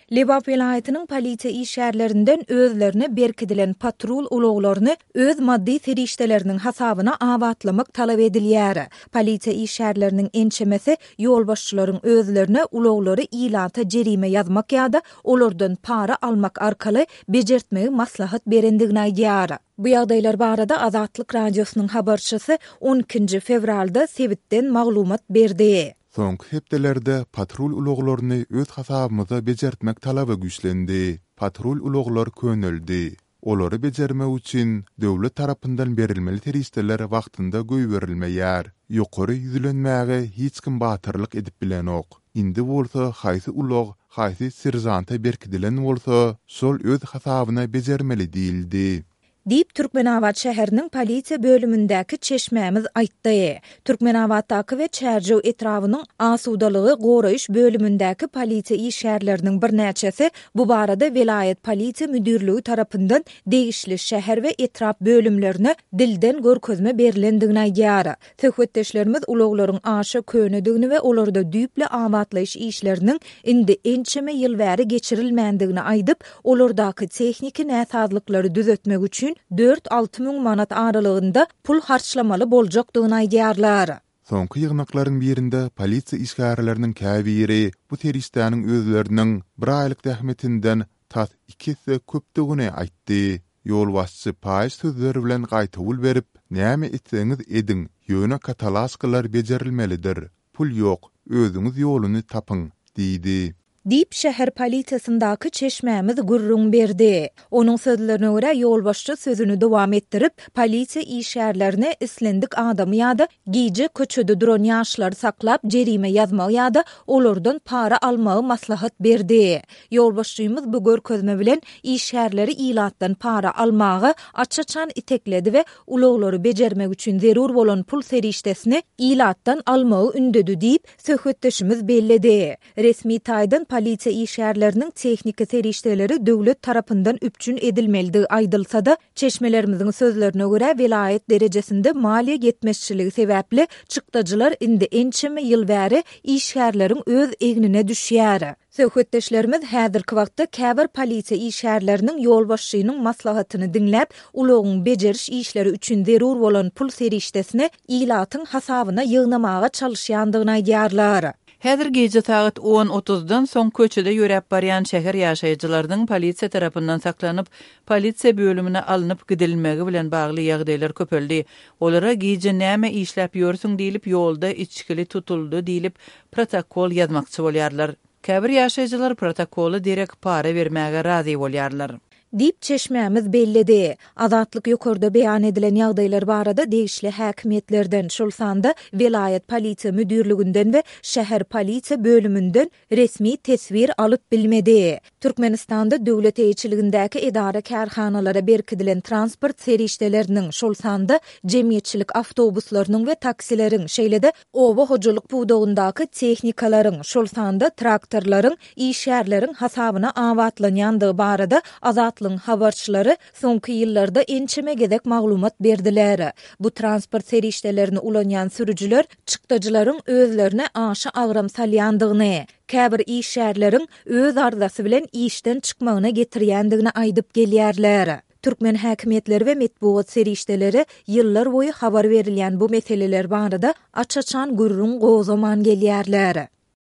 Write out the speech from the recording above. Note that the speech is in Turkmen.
Lebap welaýatynyň polisiýa işgärlerinden özlerine berkidilen patrul ulaglaryny öz maddy serişdeleriniň hasabyna abatlamak talap edilýär. Polisiýa işgärleriniň ençemesi ýolbaşçylaryň özlerine ulaglary ilata jerime ýazmak ýa-da olardan para almak arkaly bejertmegi maslahat berendigini aýdýar. Bu ýagdaýlar barada Azatlyk Radiosynyň habarçysy on ikinji fewralda sebitden maglumat berdi. Soňky hepdelerde patrul ulaglaryny öz hasabymyza bejertmek talaby güýçlendi. Patrul ulaglar köneldi. Olary bejermek üçin döwlet tarapyndan berilmeli serişdeler wagtynda goýberilmeýär. Ýokary ýüzlenmäge hiç kim batyrlyk edip bilenok. Indi bolsa haýsy ulag haýsy seržanta berkidilen bolsa, şol öz hasabyna bejermeli diýildi. Diýip, Türkmenabat şäheriniň polisiýa bölümindäki çeşmämiz aýtdy. Türkmenabatdaky we Çärjew etrabynyň asudalygy goraýyş bölümindäki polisiýa işgärleriniň birnäçesi bu barada welaýat polisiýa müdirligi tarapyndan degişli şäher we etrap bölümlerine dilden görkezme berlendigini aýdýar. Söhbetdeşlerimiz ulaglaryň aşa könedigini we olarda düýpli abatlaýyş işleriniň indi ençeme ýyl bäri geçirilmändigini aýdyp, olardaky tehniki näsazlyklary düzetmek üçin dört-alty müň manat aralygynda pul harçlamaly boljakdygyny aýdýarlar. Soňky ýygnaklaryň birinde polisiýa işgärleriniň käbiri bu serişdäniň özleriniň bir aýlyk zähmetinden tas iki esse köpdügini aýtdy. Ýolbaşçy paýyş sözler bilen gaýtawul berip, Näme etseňiz ediň, ýöne katalaşkalar bejerilmelidir. Pul ýok, özüňiz ýoluny tapyň diýdi. Diýip, şäher polisiýasyndaky çeşmämiz gürrüň berdi. Onuň sözlerine görä, ýolbaşçy sözüni dowam etdirip, polisiýa işgärlerine islendik adamy ýa-da gije köçede duran ýaşlary saklap jerime ýazmagy ýa-da olardan para almagy maslahat berdi. Ýolbaşçymyz bu görkezme bilen işgärleri ilatdan para almaga aç-açan itekledi we ulaglary bejermek üçin zerur bolan pul serişdesini ilatdan almagy ündedi diýip, söhbetdeşimiz belledi. Resmi taýdan polisiýa işgärleriniň tehniki serişdeleri döwlet tarapyndan üpjün edilmelidigi aýdylsa-da, çeşmelerimiziň sözlerine görä, welaýat derejesinde maliýe ýetmezçiligi sebäpli çykdajylar indi ençeme ýyl bäri işgärleriň öz egnine düşýär. Söhbetdeşlerimiz häzirki wagtda käbir polisiýa işgärleriniň ýolbaşçynyň maslahatyny diňläp, ulagyň bejeriş işleri üçin zerur bolan pul serişdesini ilatyň hasabyna ýygnamaga çalyşýandygyny aýdýarlar. Häzir gije sagat on otuzdan soň köçede ýöräp barýan şäher ýaşaýjylarynyň polisiýa tarapyndan saklanyp, polisiýa bölümine alnyp gidilmegi bilen bagly ýagdaýlar köpeldi. Olara gije näme işläp ýörsüň diýlip, ýolda içgili tutuldy diýlip, protokol ýazmakçy bolýarlar. Käbir ýaşaýjylar protokola derek para bermäge razy bolýarlar. Diýip, çeşmämiz belledi. Azatlyk ýokarda beýan edilen ýagdaýlar barada degişli häkimiýetlerden, şol sanda welaýat polisiýa müdirliginden we şäher polisiýa bölüminden resmi teswir alyp bilmedi. Türkmenistanda döwlet eýeçiligindäki edara-kärhanalara berkidilen transport serişdeleriniň, şol sanda jemgyýetçilik awtobuslarynyň we taksileriň, şeýle-de oba hojalyk pudagyndaky tehnikalaryň, şol sanda traktorlaryň işgärleriň hasabyna abatlanýandygy barada Azatlygyň habarçylary soňky ýyllarda ençeme gezek maglumat berdiler. Bu transport serişdelerini ulanýan sürüjiler çykdajylaryň özlerine aşa agram salýandygyny, käbir işgärleriň öz arzasy bilen işden çykmagyna getirýändigini aýdyp gelýärler. Türkmen häkimiýetleri we metbugat serişdeleri ýyllar boýy habar berilýän bu meseleler barada aç-açan gürrüň gozgaman gelýärler.